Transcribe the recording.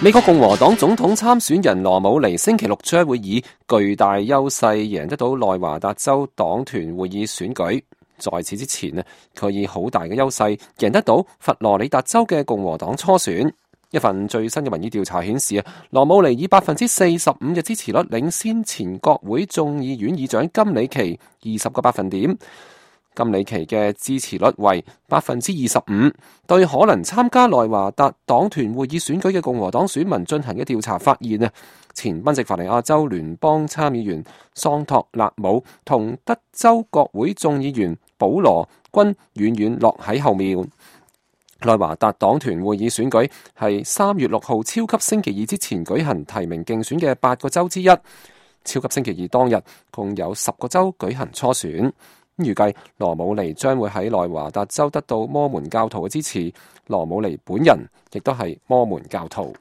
美國共和黨總統參選人羅姆尼星期六將會以巨大優勢贏得到內華達州黨團會議選舉。在此之前呢，佢以好大嘅優勢贏得到佛羅里達州嘅共和黨初選。一份最新嘅民意調查顯示羅姆尼以45%嘅支持率領先前國會眾議院議長金里奇20個百分點。金里奇嘅支持率為25%，對可能參加內華達黨團會議選舉嘅共和黨選民進行嘅調查發現前賓夕法尼亞州聯邦參議員桑托勒姆同德州國會眾議員保羅均遠遠落喺後面。內華達黨團會議選舉係3月6號超級星期二之前舉行提名競選嘅8個州之一。超級星期二當日共有10個州舉行初選。預計羅姆尼將會喺內華達州得到摩門教徒嘅支持。羅姆尼本人亦都係摩門教徒。